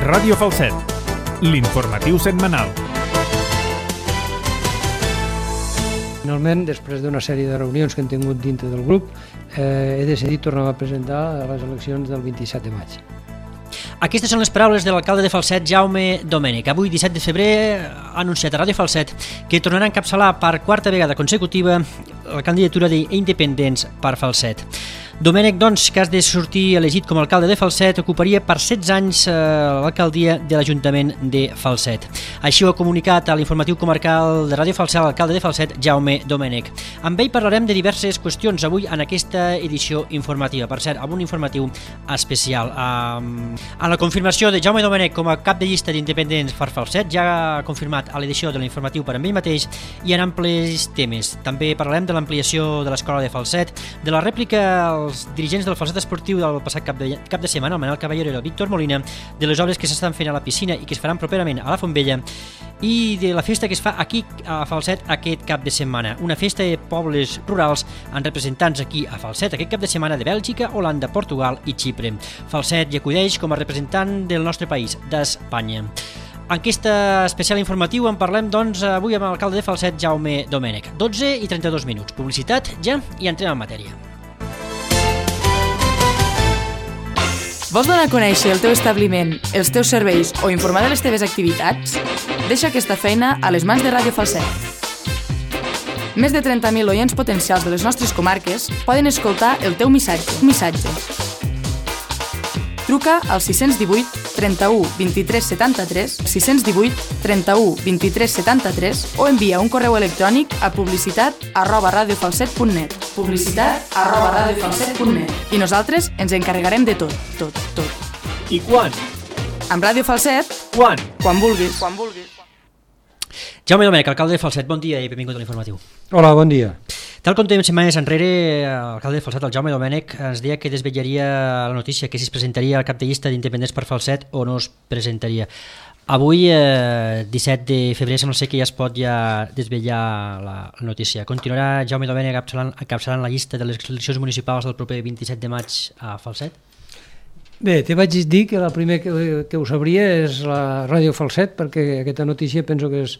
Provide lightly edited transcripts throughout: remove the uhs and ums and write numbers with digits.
Ràdio Falset, l'informatiu setmanal. Finalment, després d'una sèrie de reunions que hem tingut dintre del grup, he decidit tornar a presentar a les eleccions del 27 de maig. Aquestes són les paraules de l'alcalde de Falset, Jaume Domènech. Avui, 17 de febrer, ha anunciat a Ràdio Falset que tornarà a encapçalar per quarta vegada consecutiva la candidatura d'Independents per Falset. Domènech, doncs, que has de sortir elegit com a alcalde de Falset, ocuparia per 16 anys l'alcaldia de l'Ajuntament de Falset. Així ho ha comunicat a l'informatiu comarcal de Ràdio Falset l'alcalde de Falset, Jaume Domènech. Amb ell parlarem de diverses qüestions avui en aquesta edició informativa. Per cert, amb un informatiu especial. En la confirmació de Jaume Domènech com a cap de llista d'Independents per Falset, ja ha confirmat a l'edició de l'informatiu per amb ell mateix i en amplis temes. També parlarem de l'ampliació de l'escola de Falset, de la rèplica als dirigents del Falset Esportiu del passat cap de setmana, el Manel Caballero i el Víctor Molina, de les obres que s'estan fent a la piscina i que es faran properament a la Font Vella, i de la festa que es fa aquí a Falset aquest cap de setmana. Una festa de pobles rurals amb representants aquí a Falset aquest cap de setmana de Bèlgica, Holanda, Portugal i Xipre. Falset hi acudeix com a representant del nostre país, d'Espanya. En aquest especial informatiu en parlem, doncs, avui amb l'alcalde de Falset, Jaume Domènech. 12 i 32 minuts. Publicitat ja i entrem en matèria. Vols donar a conèixer el teu establiment, els teus serveis o informar de les teves activitats? Deixa aquesta feina a les mans de Ràdio Falset. Més de 30.000 oients potencials de les nostres comarques poden escoltar el teu missatge. Truca al 618 31 23 73, 618 31 23 73 o envia un correu electrònic a publicitat@radiofalset.net publicitat@radiofalset.net i nosaltres ens encarregarem de tot. I quan? Amb Ràdio Falset, Quan? quan vulguis. Jaume Domènech, alcalde de Falset, bon dia i benvingut a l'informatiu. Hola, bon dia. Tal com tenim setmanes enrere, l'alcalde de Falset, el Jaume Domènech, ens deia que desvetllaria la notícia que si es presentaria al cap de llista d'Independents per Falset o no es presentaria. Avui, 17 de febrer, sembla ser que ja es pot desvetllar la notícia. Continuarà Jaume Domènech encapçalant la llista de les eleccions municipals del proper 27 de maig a Falset? Bé, te vaig dir que la primera que ho sabria és la Ràdio Falset, perquè aquesta notícia penso que és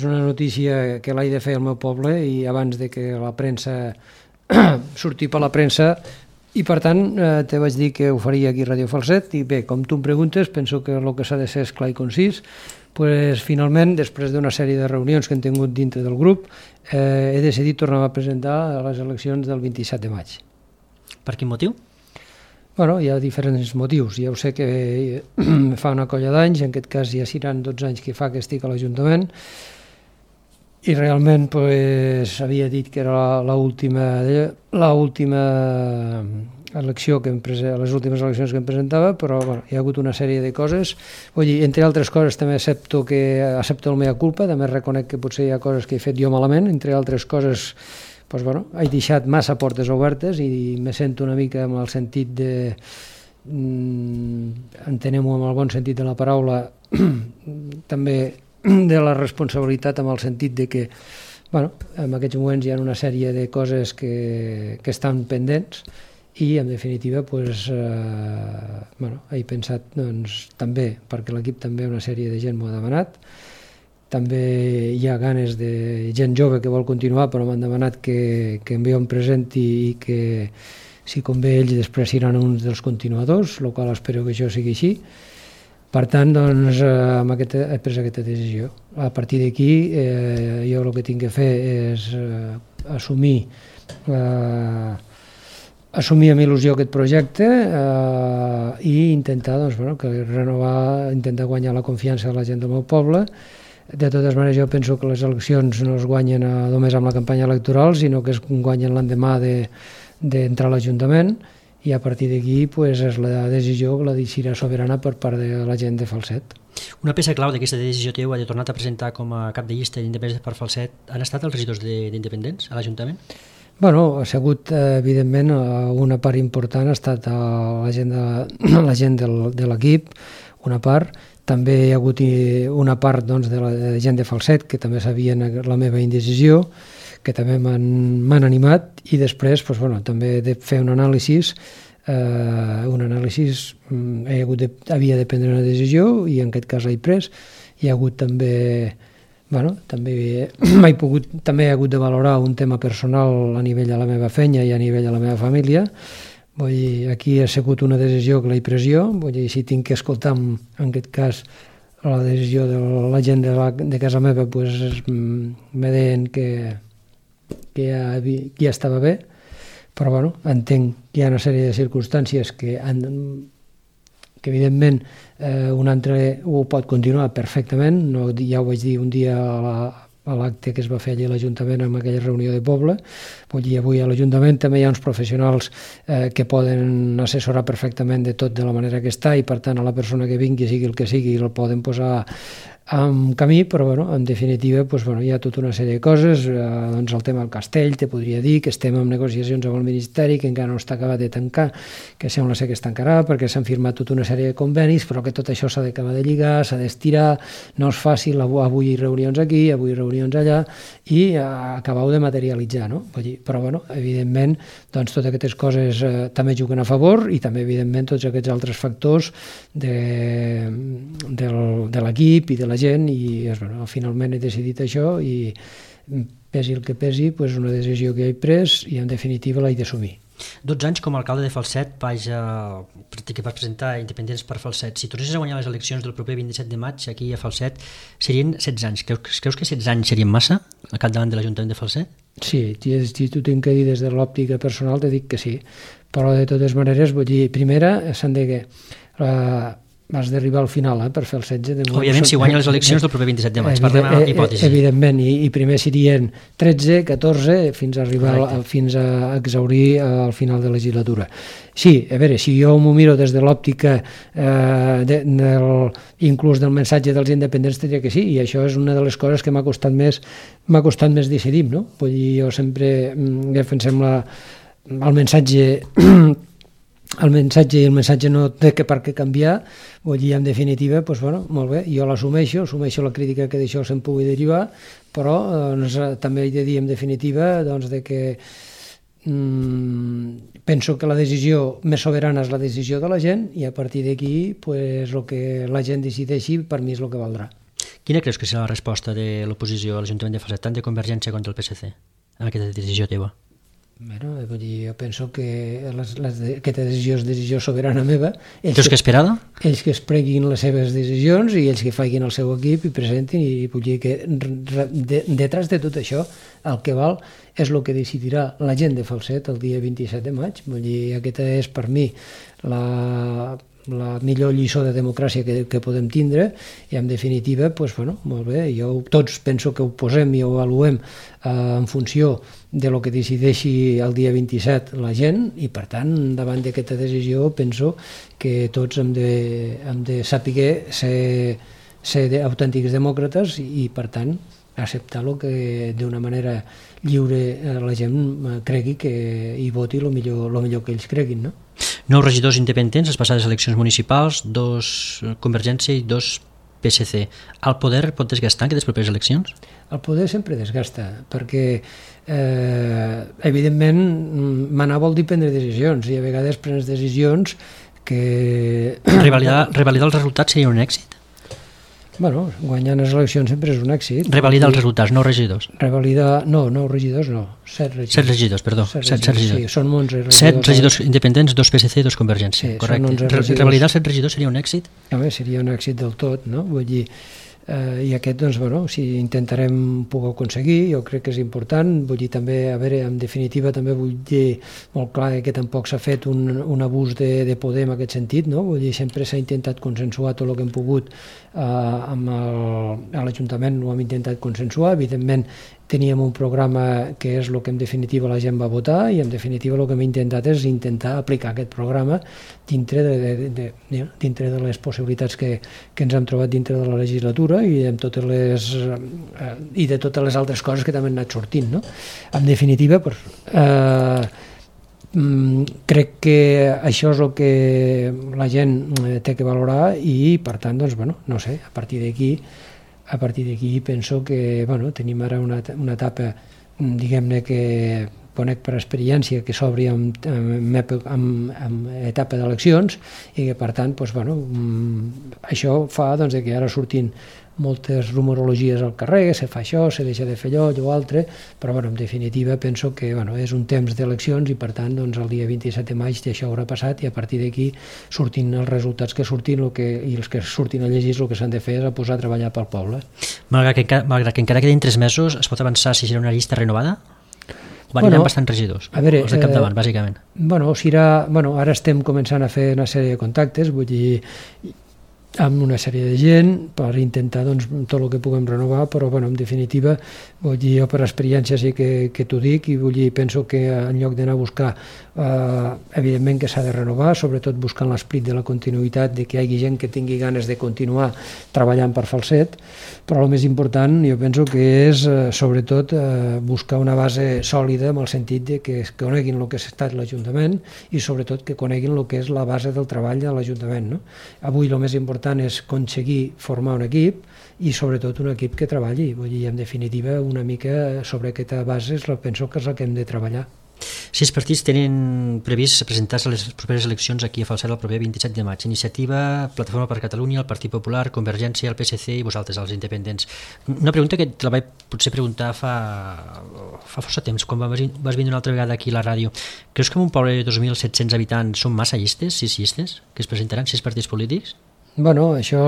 una notícia que l'he de fer al meu poble i abans de que la premsa surti per la premsa, i per tant te vaig dir que ho faria aquí a Ràdio Falset. I bé, com tu em preguntes, penso que el que s'ha de ser és clar i concís. Pues, finalment, després d'una sèrie de reunions que hem tingut dintre del grup, he decidit tornar a presentar a les eleccions del 27 de maig. Per quin motiu? Bueno, hi ha diferents motius. Ja ho sé que fa una colla d'anys, en aquest cas ja seran 12 anys que fa que estic a l'Ajuntament, i realment pues, havia dit que era l'última elecció que les últimes eleccions que em presentava, però bueno, hi ha hagut una sèrie de coses. Vull dir, entre altres coses també accepto el mea culpa, també reconec que potser hi ha coses que he fet jo malament, entre altres coses pues, bueno, he deixat massa portes obertes i me sento una mica amb el sentit de, entenem-ho amb el bon sentit de la paraula, també de la responsabilitat amb el sentit de que bueno, en aquests moments hi ha una sèrie de coses que estan pendents i en definitiva pues, bueno, he pensat doncs, també, perquè l'equip també una sèrie de gent m'ho ha demanat, també hi ha ganes de gent jove que vol continuar però m'han demanat que jo em presenti i que si convé ells després seran uns dels continuadors, el qual espero que això sigui així. Per tant, doncs, he pres aquesta decisió. A partir d'aquí, jo el que tinc que fer és assumir amb il·lusió aquest projecte i intentar doncs, bueno, renovar, intentar guanyar la confiança de la gent del meu poble. De totes maneres, jo penso que les eleccions no es guanyen només amb la campanya electoral, sinó que es guanyen l'endemà d'entrar a l'Ajuntament, i a partir d'aquí pues, és la decisió que la decidirà soberana per part de la gent de Falset. Una peça clau d'aquesta decisió teva de tornar a presentar com a cap de llista d'Independents per Falset han estat els regidors d'Independents a l'Ajuntament? Bueno, ha sigut, evidentment, una part important ha estat la gent de l'equip, una part. També hi ha hagut una part doncs, de la gent de Falset que també sabien la meva indecisió, que també m'han animat, i després doncs, bueno, també he de fer un anàlisi un anàlisi, havia de prendre una decisió i en aquest cas l'he pres. Hi ha hagut també, també he hagut de valorar un tema personal a nivell de la meva feina i a nivell de la meva família. Vull dir, aquí ha sigut una decisió que l'he pres jo, vull dir, si tinc que escoltar en aquest cas la decisió de la gent de casa meva, doncs me deien que ja estava bé, però entenc que hi ha una sèrie de circumstàncies que evidentment un altre ho pot continuar perfectament. Ja ho vaig dir un dia a l'acte que es va fer allà a l'Ajuntament en aquella reunió de poble. Vull dir, avui a l'Ajuntament també hi ha uns professionals que poden assessorar perfectament de tot de la manera que està i per tant a la persona que vingui, sigui el que sigui, el poden posar en camí, però en definitiva hi ha tota una sèrie de coses. El tema del castell, te podria dir que estem en negociacions amb el Ministeri, que encara no està acabat de tancar, que sembla ser que es tancarà perquè s'han firmat tota una sèrie de convenis, però que tot això s'ha d'acabar de lligar, s'ha d'estirar, no és fàcil, avui reunions aquí, avui reunions allà, i acabar-ho de materialitzar, no? Però evidentment totes aquestes coses també juguen a favor i també evidentment tots aquests altres factors de l'equip i de la gent, i finalment he decidit això i pesi el que pesi, una decisió que he pres i en definitiva l'he d'assumir. 12 anys com a alcalde de Falset, que vas presentar Independents per Falset. Si tornessis a guanyar les eleccions del proper 27 de maig aquí a Falset, serien 16 anys. Creus que 16 anys serien massa al capdavant de l'Ajuntament de Falset? Sí, si t'ho tinc que dir des de l'òptica personal, te dic que sí. Però de totes maneres, vull dir, primera, s'han de has d'arribar al final per fer el 16. Òbviament, si guanya les eleccions del proper 27 de maig, parlem de hipòtesi. Evidentment, i primer serien 13, 14, fins a arribar fins a exhaurir al final de la legislatura. Sí, a veure, si jo m'ho miro des de l'òptica inclús del mensatge dels independents, diria que sí, i això és una de les coses que m'ha costat més decidir, no? Vull dir, jo sempre defensem el mensatge i el mensatge no té per què canviar. Vull dir, en definitiva, molt bé, jo l'assumeixo la crítica que d'això se'n pugui derivar, però també he de dir en definitiva que penso que la decisió més soberana és la decisió de la gent i a partir d'aquí el que la gent decideixi per mi és el que valdrà. Quina creus que serà la resposta de l'oposició a l'Ajuntament de Falset, tant de Convergència contra el PSC, en aquesta decisió teva? Jo penso que aquesta decisió és decisió soberana meva. Creus que esperada? Ells que es preguin les seves decisions i ells que facin el seu equip i presentin, i vull dir que detrás de tot això el que val és el que decidirà la gent de Falset el dia 27 de maig. Vull dir, aquesta és per mi la millor lliçó de democràcia que podem tindre i en definitiva, molt bé, tots penso que ho posem i ho avaluem en funció de lo que decideixi el dia 27 la gent i per tant davant d'aquesta decisió penso que tots hem de saber ser autèntics demòcrates i per tant acceptar el que d'una manera lliure la gent cregui i voti el millor que ells creguin, no? 9 regidors independents, les passades eleccions municipals, 2 Convergència i 2 PSC. El poder pot desgastar aquestes properes eleccions? El poder sempre desgasta, perquè evidentment manar vol dir prendre decisions i a vegades prens decisions que... Revalidar els resultats seria un èxit? Bueno, guanyant les eleccions sempre és un èxit. Revalidar els resultats, 9 regidors. Revalidar, no, 9 regidors no, 7 regidors. 7 regidors, perdó. 7 regidors. Sí, són 11 regidors. 7 regidors independents, 2 PSC i 2 Convergència. Sí, correcte. Revalidar els 7 regidors seria un èxit? Home, seria un èxit del tot, no? Vull dir, i aquest, si intentarem poder aconseguir, jo crec que és important. Vull dir, també, a veure, en definitiva, també vull dir molt clar que tampoc s'ha fet un abús de poder en aquest sentit, no? Vull dir, sempre s'ha intentat consensuar tot el que hem pogut a l'Ajuntament, ho hem intentat consensuar. Evidentment, teníem un programa que és el que en definitiva la gent va votar i en definitiva el que hem intentat és intentar aplicar aquest programa dintre de les possibilitats que ens hem trobat dintre de la legislatura i de totes les altres coses que també han anat sortint, no? En definitiva, crec que això és el que la gent té que valorar i per tant, no sé, a partir d'aquí penso que tenim ara una etapa, diguem-ne, que conec per experiència que s'obri en etapa d'eleccions i que, per tant, això fa que ara surtin moltes rumorologies al carrer, se fa això, se deixa de fer allò altre, però en definitiva penso que és un temps d'eleccions i per tant el dia 27 de maig això haurà passat i a partir d'aquí sortin els resultats que surtin i els que surtin a llegir el que s'han de fer és a posar a treballar pel poble. Malgrat que encara quedin 3 mesos, es pot avançar si serà una llista renovada? O aniran bastants regidors, els de capdavant, bàsicament? Ara estem començant a fer una sèrie de contactes, vull dir, amb una sèrie de gent per intentar tot el que puguem renovar, però en definitiva vull dir, jo per experiència sí que t'ho dic i vull dir, penso que en lloc d'anar a buscar evidentment que s'ha de renovar, sobretot buscant l'esperit de la continuïtat, de que hi hagi gent que tingui ganes de continuar treballant per Falset, però el més important jo penso que és sobretot buscar una base sòlida en el sentit de que coneguin el que ha estat l'Ajuntament i sobretot que coneguin el que és la base del treball de l'Ajuntament, no? Avui el més important és aconseguir formar un equip i sobretot un equip que treballi, vull dir, en definitiva una mica sobre aquesta base penso que és la que hem de treballar. 6 partits tenen previst presentar-se a les properes eleccions aquí a Falset el proper 27 de maig. Iniciativa, Plataforma per Catalunya, el Partit Popular, Convergència, el PSC i vosaltres, els independents. Una pregunta que te la vaig potser preguntar fa força temps, quan vas vindre una altra vegada aquí a la ràdio. Creus que en un poble de 2.700 habitants són massa llistes, 6 llistes, que es presentaran 6 partits polítics? Això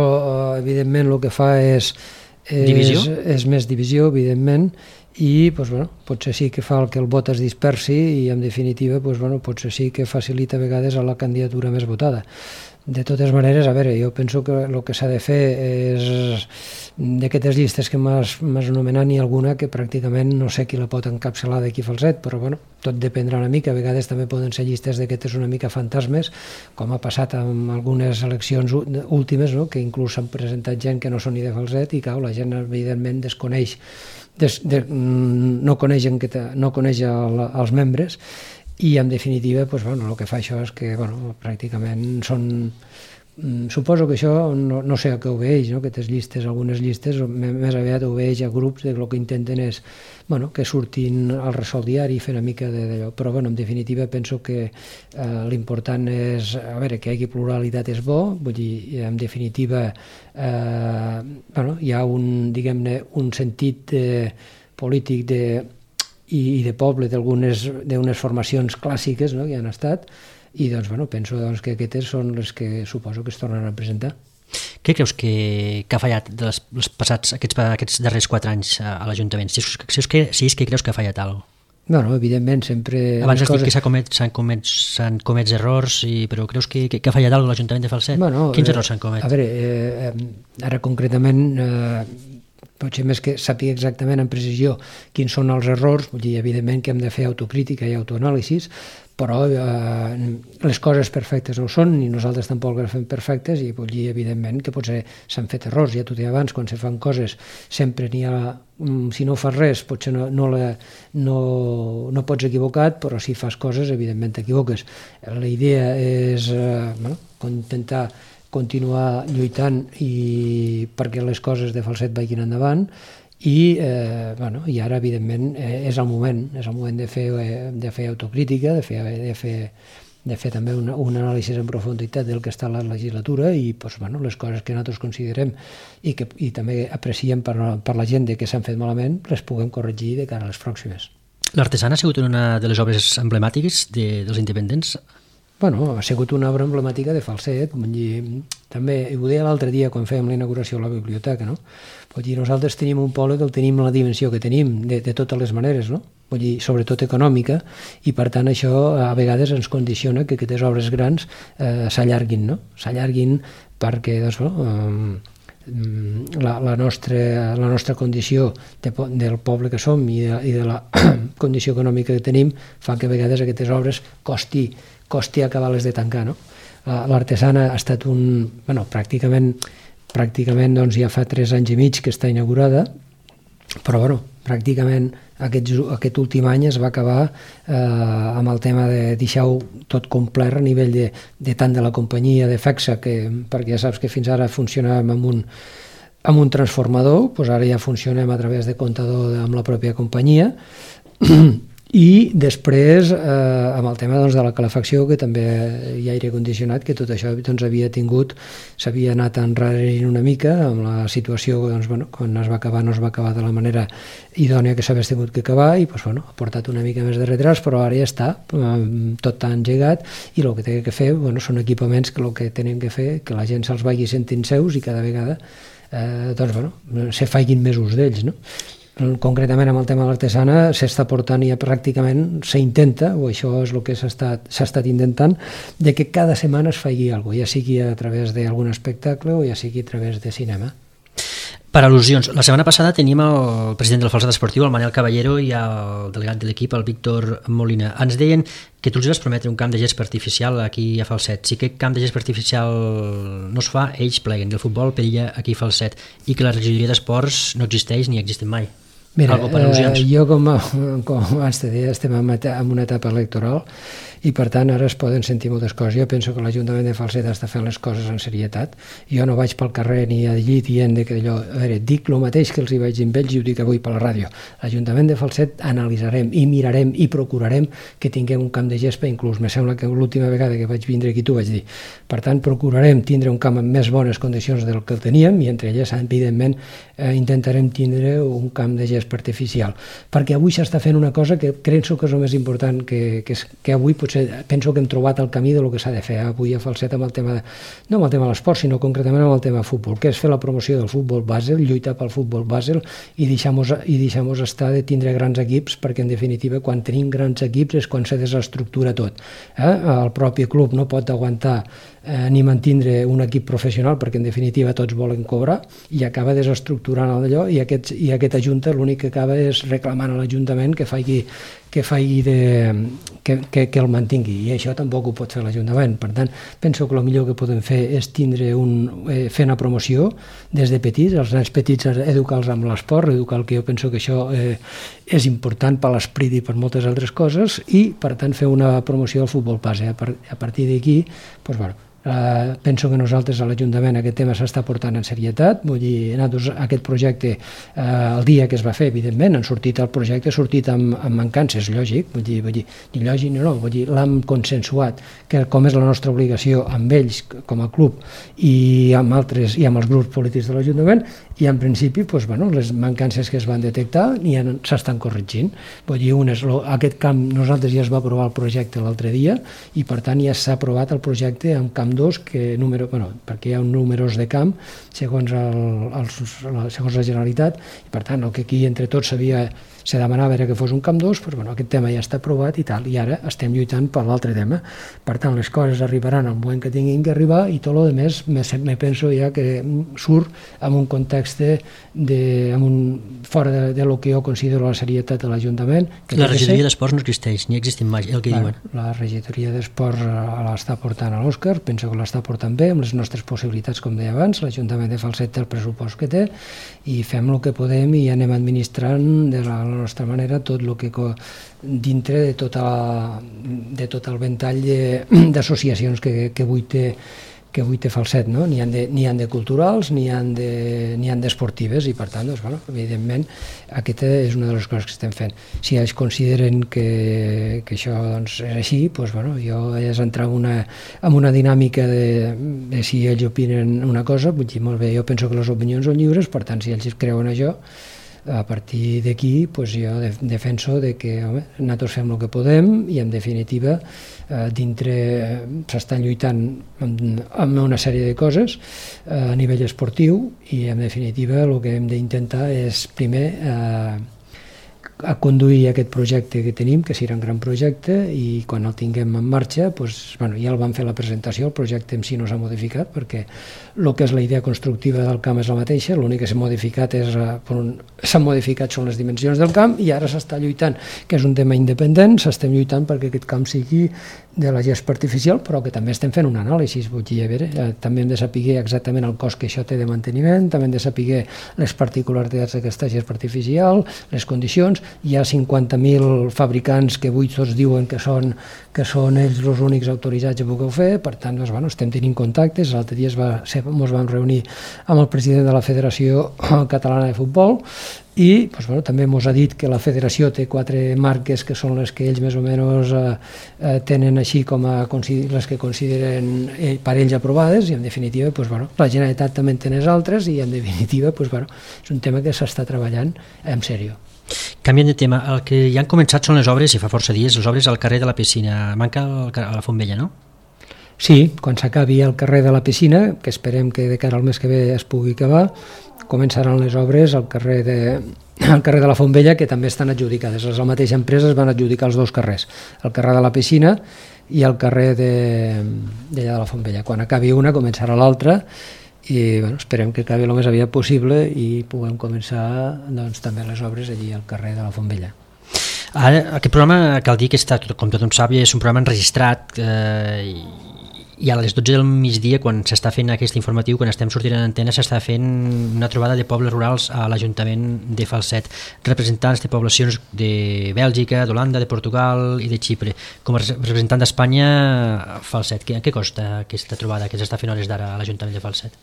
evidentment el que fa és més divisió, evidentment, i potser sí que fa que el vot es dispersi i en definitiva potser sí que facilita a vegades a la candidatura més votada. De totes maneres, jo penso que el que s'ha de fer és d'aquestes llistes que m'has anomenat n'hi ha alguna que pràcticament no sé qui la pot encapçalar d'aquí a Falset, però tot dependrà una mica, a vegades també poden ser llistes d'aquestes una mica fantasmes, com ha passat amb algunes eleccions últimes, que inclús s'han presentat gent que no són ni de Falset i la gent evidentment desconeix, no coneix els membres i en definitiva el que fa això és que pràcticament són... Suposo que això no sé a què obeeix, aquestes llistes, algunes llistes més aviat obeeix a grups que el que intenten és que surtin al ressò diari i fer una mica d'allò, però en definitiva penso que l'important és que hi hagi pluralitat és bo, vull dir, en definitiva hi ha un sentit polític i de poble d'unes formacions clàssiques que han estat i penso que aquestes són les que suposo que es tornen a presentar. Què creus que ha fallat aquests darrers 4 anys a l'Ajuntament? Si és que creus que ha fallat alguna cosa? Evidentment, sempre... Abans has dit que s'han comès errors, però creus que ha fallat alguna cosa a l'Ajuntament de Falset? Quins errors s'han comès? Ara concretament... potser més que sàpiga exactament en precisió quins són els errors, vull dir, evidentment que hem de fer autocrítica i autoanàlisis, però les coses perfectes no ho són, ni nosaltres tampoc les fem perfectes, i vull dir, evidentment, que potser s'han fet errors, ja t'ho deia abans, quan se fan coses sempre n'hi ha, si no fas res potser no pots equivocat, però si fas coses evidentment t'equivoques. La idea és intentar continuar lluitant perquè les coses de Falset vagin endavant i ara evidentment és el moment de fer autocrítica, de fer també un anàlisi en profunditat del que està la legislatura i les coses que nosaltres considerem i també apreciem per la gent que s'han fet malament les puguem corregir de cara a les pròximes. L'Artesana ha sigut una de les obres emblemàtiques dels independents? Ha sigut una obra emblemàtica de Falset, també ho deia l'altre dia quan fèiem la inauguració de la biblioteca, no? Nosaltres tenim un poble que el tenim la dimensió que tenim, de totes les maneres, no? Sobretot econòmica, i per tant això a vegades ens condiciona que aquestes obres grans s'allarguin, no? S'allarguin perquè la nostra condició del poble que som i de la condició econòmica que tenim fa que a vegades aquestes obres costi acabar-les de tancar, no? L'Artesana ha estat pràcticament ja fa 3 anys i mig que està inaugurada, però pràcticament aquest últim any es va acabar amb el tema de deixar-ho tot complet a nivell de tant de la companyia de FEXA, perquè ja saps que fins ara funcionàvem amb un transformador, ara ja funcionem a través de comptador amb la pròpia companyia, I després, amb el tema de la calefacció, que també hi ha aire condicionat, que tot això s'havia anat enrarint una mica amb la situació, quan es va acabar no es va acabar de la manera idònia que s'hagués tingut que acabar, i ha portat una mica més de retras, però ara ja està, tot engegat, i el que té que fer són equipaments que el que tenen que fer que la gent se'ls vagi sentint seus i cada vegada se faiguin més ús d'ells, no? Concretament amb el tema de l'artesana s'està portant i pràcticament s'intenta, o això és el que s'ha estat intentant, de que cada setmana es faci alguna cosa, ja sigui a través d'algun espectacle o ja sigui a través de cinema. Per al·lusions, la setmana passada teníem el president del Falset Esportiu, el Manel Caballero, i el delegat de l'equip, el Víctor Molina. Ens deien que tu els vas prometre un camp de gespa artificial aquí a Falset. Si aquest camp de gespa artificial no es fa, ells pleguen, i el futbol perilla aquí a Falset, i que la regidoria d'esports no existeix ni existe mai. Mira, jo com abans te deia, estem en una etapa electoral i per tant ara es poden sentir moltes coses. Jo penso que l'Ajuntament de Falset està fent les coses en serietat. Jo no vaig pel carrer ni allí dient que allò, a veure, dic el mateix que els hi vaig dir amb ells i ho dic avui per la ràdio. L'Ajuntament de Falset analitzarem i mirarem i procurarem que tinguem un camp de gespa, inclús me sembla que l'última vegada que vaig vindre aquí t'ho vaig dir. Per tant, procurarem tindre un camp en més bones condicions del que el teníem i entre elles, evidentment, intentarem tindre un camp de gespa artificial. Perquè avui s'està fent una cosa que penso que és el més important, que avui potser penso que hem trobat el camí del que s'ha de fer avui a Falset amb el tema, no amb el tema de l'esport, sinó concretament amb el tema futbol, que és fer la promoció del futbol bàsel, lluitar pel futbol bàsel i deixar-nos estar de tindre grans equips, perquè en definitiva quan tenim grans equips és quan se desestructura tot. El propi club no pot aguantar ni mantindre un equip professional, perquè en definitiva tots volen cobrar, i acaba desestructurant allò, i aquesta junta l'únic que acaba és reclamant a l'Ajuntament que el mantingui, i això tampoc ho pot fer l'Ajuntament. Per tant, penso que el millor que podem fer és fer una promoció des de petits, els nens petits educar-los amb l'esport, que jo penso que això és important per l'esperit i per moltes altres coses, i per tant fer una promoció del futbol base. A partir d'aquí, penso que nosaltres a l'Ajuntament aquest tema s'està portant en serietat. Vull dir, nosaltres aquest projecte el dia que es va fer, evidentment, el projecte ha sortit amb mancances, lògic, vull dir, ni lògic ni no, vull dir, l'hem consensuat, que com és la nostra obligació amb ells com a club i amb altres i amb els grups polítics de l'Ajuntament, i en principi les mancances que es van detectar s'estan corregint. Vull dir, aquest camp, nosaltres ja es va aprovar el projecte l'altre dia i per tant ja s'ha aprovat el projecte amb camp 2, perquè hi ha números de camp segons la Generalitat, i per tant el que aquí entre tots se demanava era que fos un camp 2, però aquest tema ja està aprovat i tal, i ara estem lluitant per l'altre tema. Per tant, les coses arribaran al moment que tinguin que arribar, i tot el més me penso ja que surt en un context fora de lo que jo considero la serietat de l'Ajuntament. La regidoria d'esports no existeix, ni existim mai, el que diuen. La regidoria d'esports l'està portant a l'Òscar, penso que l'està portant bé, amb les nostres possibilitats, com deia abans. L'Ajuntament de Falset té el pressupost que té, i fem el que podem i anem administrant de la nostra manera tot el que dintre de tot el ventall d'associacions que avui té Falset, no? N'hi han de culturals, n'hi han d'esportives, i per tant, evidentment, aquesta és una de les coses que estem fent. Si ells consideren que això és així, jo és entrar en una dinàmica de si ells opinen una cosa, vull dir, molt bé, jo penso que les opinions són lliures, per tant, si ells creuen això, a partir d'aquí jo defenso que nosaltres fem el que podem, i en definitiva dintre s'estan lluitant amb una sèrie de coses a nivell esportiu, i en definitiva el que hem d'intentar és primer a conduir aquest projecte que tenim, que serà un gran projecte, i quan el tinguem en marxa, ja el vam fer la presentació, el projecte en si no s'ha modificat, perquè el que és la idea constructiva del camp és la mateixa, l'únic que s'ha modificat són les dimensions del camp, i ara s'està lluitant, que és un tema independent, s'estem lluitant perquè aquest camp sigui de la gespa artificial, però que també estem fent un anàlisi, vull dir, també hem de saber exactament el cost que això té de manteniment, també hem de saber les particularitats d'aquesta gespa artificial, les condicions, hi ha 50.000 fabricants que avui tots diuen que són ells els únics autoritzats a poder fer, per tant, doncs, bueno, estem tenint contactes. L'altre dia ens vam reunir amb el president de la Federació Catalana de Futbol i doncs, bueno, també ens ha dit que la federació té 4 marques que són les que ells més o menys tenen així com les que consideren per ells aprovades, i en definitiva doncs, bueno, la Generalitat també en té altres, i en definitiva doncs, bueno, és un tema que s'està treballant en sèrio. Canviant de tema, el que ja han començat són les obres, i fa força dies, les obres al carrer de la Piscina. Manca a la Font Vella, no? Sí, quan s'acabi el carrer de la Piscina, que esperem que de cara al mes que ve es pugui acabar, començaran les obres al carrer de la Font Vella, que també estan adjudicades. La mateixa empresa es van adjudicar els 2 carrers, el carrer de la Piscina i el carrer de la Font Vella. Quan acabi una, començarà l'altra, i bueno, esperem que acabi el més aviat possible i puguem començar doncs, també les obres allí al carrer de la Font Vella. Ara, aquest programa, cal dir que està, com tothom sap, és un programa enregistrat i a les 12 del migdia, quan s'està fent aquest informatiu, quan estem sortint en antena, s'està fent una trobada de pobles rurals a l'Ajuntament de Falset, representants de poblacions de Bèlgica, d'Holanda, de Portugal i de Xipre. Com a representant d'Espanya, Falset, què costa aquesta trobada que s'està fent a hores d'ara a l'Ajuntament de Falset?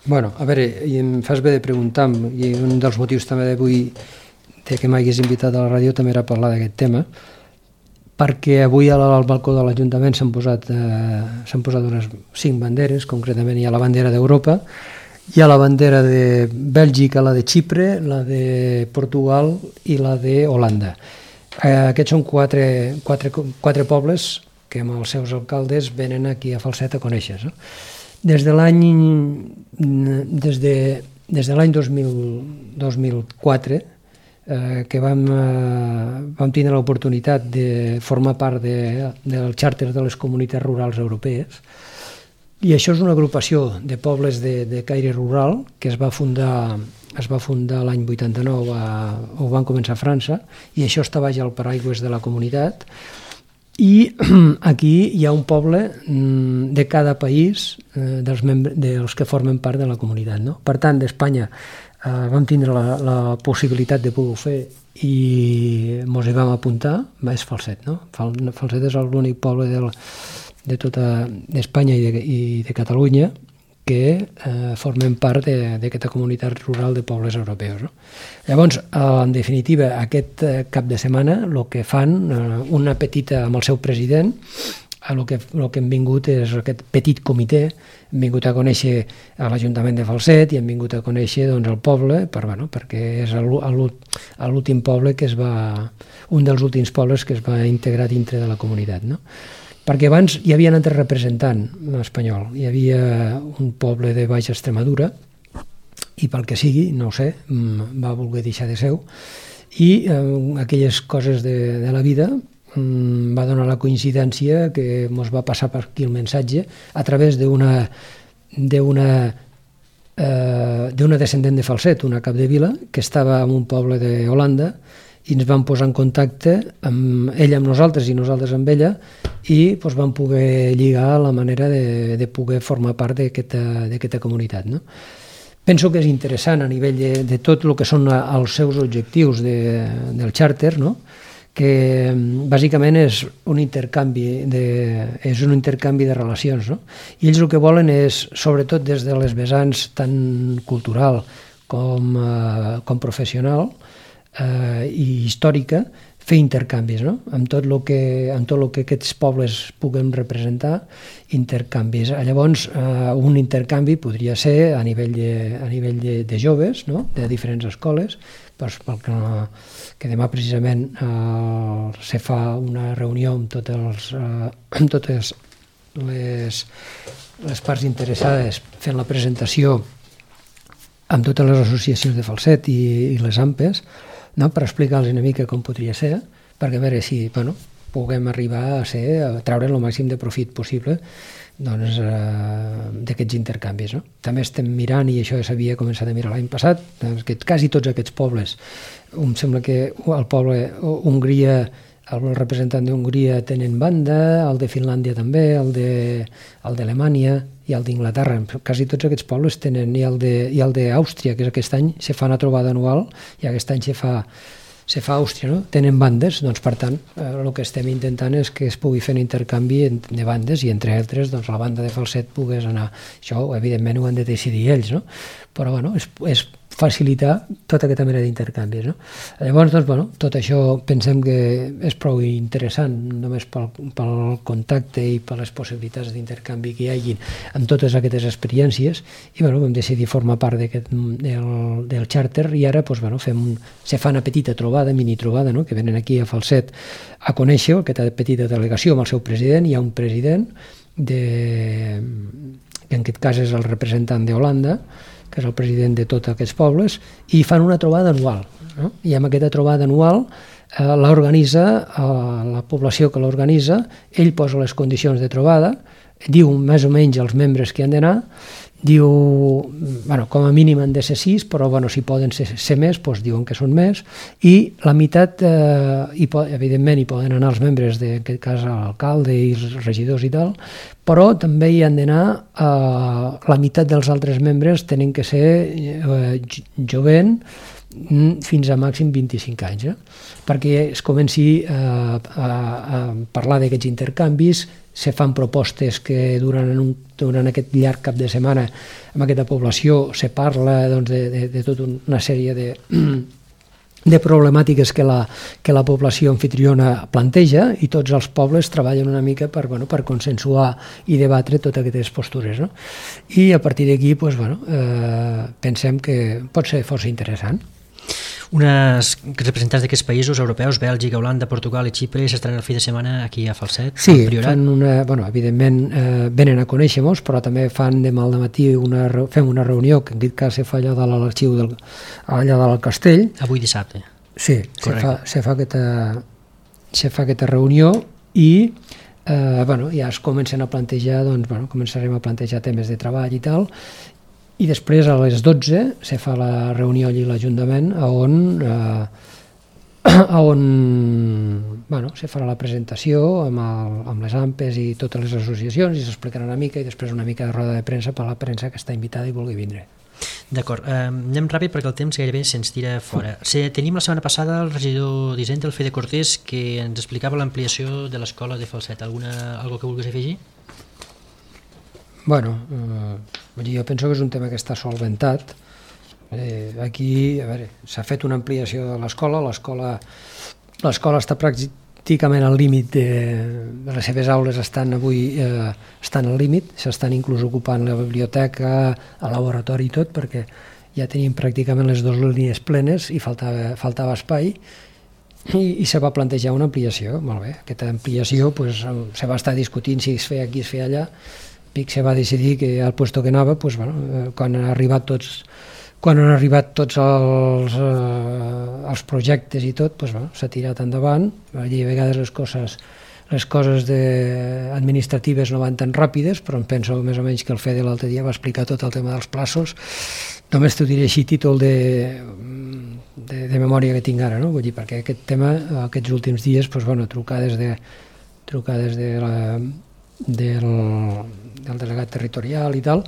Bueno, a veure, i em fas bé de preguntar, i un dels motius també d'avui que m'hagués invitat a la ràdio també era parlar d'aquest tema, perquè avui al balcó de l'Ajuntament s'han posat unes 5 banderes, concretament hi ha la bandera d'Europa, hi ha la bandera de Bèlgica, la de Xipre, la de Portugal i la d'Holanda. Aquests són 4 pobles que amb els seus alcaldes venen aquí a Falset a conèixer. No? Des de l'any 2004, que vam tenir l'oportunitat de formar part del xàrter de les comunitats rurals europees, i això és una agrupació de pobles de caire rural que es va fundar l'any 89, ho van començar a França, i això està baix al paraigües de la comunitat, i aquí hi ha un poble de cada país dels que formen part de la comunitat. No? Per tant, d'Espanya vam tindre la possibilitat de poder fer i ens hi vam apuntar, és Falset. No? Falset és l'únic poble de tota Espanya i de Catalunya que formen part d'aquesta comunitat rural de pobles europeus. No? Llavors, en definitiva, aquest cap de setmana el que fan, una petita amb el seu president, el que hem vingut és aquest petit comitè, hem vingut a conèixer a l'Ajuntament de Falset i hem vingut a conèixer doncs, el poble, perquè és l'últim poble un dels últims pobles que es va integrar dintre de la comunitat. No? Perquè abans hi havia un altre representant espanyol, hi havia un poble de Baixa Extremadura i pel que sigui, no ho sé, va voler deixar de seu, i aquelles coses de la vida va donar la coincidència que ens va passar per aquí el missatge a través d'una descendent de Falset, una capdevila, que estava en un poble d'Holanda, i ens vam posar en contacte amb ella amb nosaltres i nosaltres amb ella, i doncs, vam poder lligar la manera de poder formar part d'aquesta comunitat. No? Penso que és interessant a nivell de tot el que són els seus objectius del xàrter, no? Que bàsicament és un intercanvi de relacions. No? I ells el que volen és, sobretot des de les vessants tant cultural com professional i històrica, fer intercanvis, no? amb tot el que aquests pobles puguen representar, intercanvis. Llavors, un intercanvi podria ser a nivell de joves, no? De diferents escoles, que demà precisament se fa una reunió amb totes les parts interessades fent la presentació amb totes les associacions de Falset i les AMPES, no? Per explicar-los una mica com podria ser, perquè a veure si puguem arribar a treure el màxim de profit possible d'aquests intercanvis. No? També estem mirant, i això ja s'havia començat a mirar l'any passat, que quasi tots aquests pobles, em sembla que el poble Hongria, el representant d'Hongria tenen banda, el de Finlàndia també, el d'Alemanya i el d'Inglaterra. Quasi tots aquests pobles tenen, i el d'Àustria, que aquest any se fa una trobada anual, i aquest any se fa se fa a Àustria, no? Tenen bandes, doncs per tant el que estem intentant és que es pugui fer un intercanvi de bandes i entre altres doncs, la banda de Falset pogués anar. Això evidentment ho han de decidir ells, no? Però bueno, és facilitar tota aquesta mena d'intercanvis, no? Llavors, doncs, bueno, tot això pensem que és prou interessant, només pel contacte i per les possibilitats d'intercanvi que hi hagin amb totes aquestes experiències, i bueno, vam decidir formar part del xàrter, i ara doncs, bueno, se fa una petita trobada, mini trobada, no? Que venen aquí a Falset a conèixer aquesta petita delegació amb el seu president. Hi ha un president que en aquest cas és el representant d'Holanda, que és el president de tots aquests pobles, i fan una trobada anual, no? I amb aquesta trobada anual l'organitza la població que l'organitza, ell posa les condicions de trobada, diu més o menys els membres que han d'anar, diu, bueno, com a mínim han de ser 6, però bueno, si poden ser més, doncs diuen que són més, i la meitat, evidentment hi poden anar els membres, en aquest cas l'alcalde i els regidors i tal, però també hi han d'anar la meitat dels altres membres tenen que ser jovent fins a màxim 25 anys, perquè es comenci a parlar d'aquests intercanvis. Se fan propostes que durant aquest llarg cap de setmana amb aquesta població se parla doncs, de tota una sèrie de problemàtiques que la població anfitriona planteja, i tots els pobles treballen una mica per consensuar i debatre totes aquestes postures, no? I a partir d'aquí doncs, pensem que pot ser força interessant. Uns representants d'aquests països europeus, Bèlgica, Holanda, Portugal i Xipre, s'estaran el fi de setmana aquí a Falset? Sí, evidentment venen a conèixer-nos, però també fan demà al matí fem una reunió, que en aquest cas se fa allà de l'arxiu allà del castell. Avui dissabte. Sí, se fa aquesta reunió i ja es comencen a plantejar, començarem a plantejar temes de treball i tal, i després a les 12 se fa la reunió allí a l'Ajuntament on se farà la presentació amb les AMPES i totes les associacions, i s'explicarà una mica, i després una mica de roda de premsa per la premsa que està invitada i vulgui vindre. D'acord, anem ràpid perquè el temps gairebé se'ns tira fora. Tenim la setmana passada el regidor d'Hisenda, el Fede Cortés, que ens explicava l'ampliació de l'escola de Falset. Algo que vulguis afegir? Bueno, jo penso que és un tema que està solventat. Aquí, s'ha fet una ampliació de l'escola, l'escola està pràcticament al límit de les seves aules, estan al límit, s'estan inclús ocupant la biblioteca, el laboratori i tot, perquè ja tenim pràcticament les 2 línies plenes i faltava espai, i se va plantejar una ampliació. Molt bé, aquesta ampliació se va estar discutint si es feia aquí, es feia allà. Se va decidir que al puesto que anava, quan han arribat tots els projectes i tot, s'ha tirat endavant. Allí a vegades les coses administratives no van tan ràpides, però em penso més o menys que el Fede l'altre dia va explicar tot el tema dels plaços. Només t'ho diré així, títol de memòria que tinc ara, no? Vull dir, perquè aquest tema, aquests últims dies, trucades del delegat territorial i tal,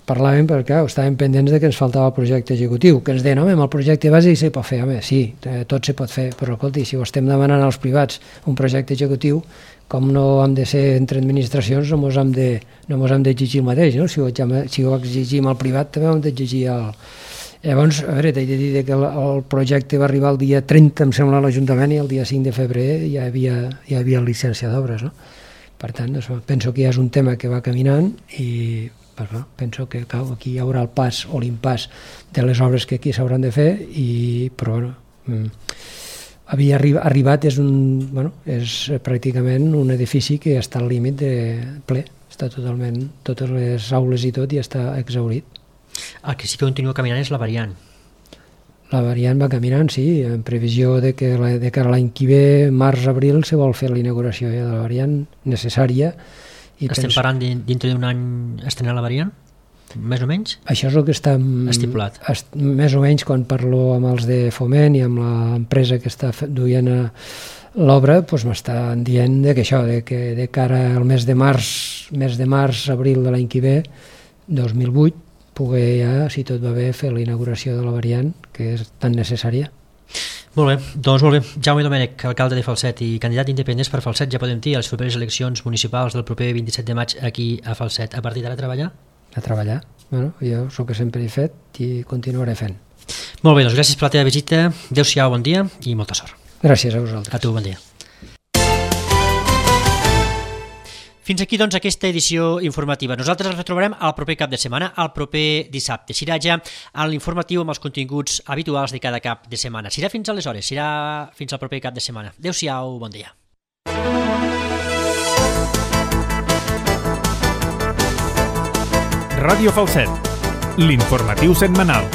parlàvem perquè estàvem pendents de que ens faltava el projecte executiu, que ens deien, home, amb el projecte bàsic se pot fer, home, sí, tot se pot fer, però escolti, si ho estem demanant als privats un projecte executiu, com no hem de ser entre administracions, no mos hem d'exigir el mateix, no? Si ho exigim al privat, també ho hem d'exigir al... Llavors, t'he de dir que el projecte va arribar el dia 30, em sembla, a l'Ajuntament, i el dia 5 de febrer ja hi havia llicència d'obres, no? Per tant, penso que ja és un tema que va caminant, i penso que aquí hi haurà el pas o l'impàs de les obres que aquí s'hauran de fer, però havia arribat, és pràcticament un edifici que està al límit de ple, està totalment, totes les aules i tot, i està exhaurit. El que sí que continua caminant és la variant. La variant va caminant, sí, en previsió de que l'any que ve, març-abril, se vol fer la inauguració de la variant necessària. Estem parlant dintre d'un any estrenar la variant? Més o menys? Això és el que està estipulat. Més o menys, quan parlo amb els de Foment i amb l'empresa que està duent l'obra, m'estan dient que això, que de cara al mes de març, abril de l'any que ve, 2008, poder ja, si tot va bé, fer la inauguració de la variant, que és tan necessària. Molt bé, doncs molt bé. Jaume Domènech, alcalde de Falset i candidat independent per Falset, ja podem dir, a les properes eleccions municipals del proper 27 de maig aquí a Falset. A partir d'ara a treballar? A treballar. Bueno, jo és el que sempre he fet i continuaré fent. Molt bé, doncs gràcies per la teva visita. Adéu-siau, bon dia i molta sort. Gràcies a vosaltres. A tu, bon dia. Fins aquí, doncs, aquesta edició informativa. Nosaltres ens retrobarem al proper cap de setmana, al proper dissabte. Serà ja a l'informatiu amb els continguts habituals de cada cap de setmana. Serà fins aleshores, serà fins al proper cap de setmana. Adéu-siau, bon dia. Ràdio Falset, l'informatiu setmanal.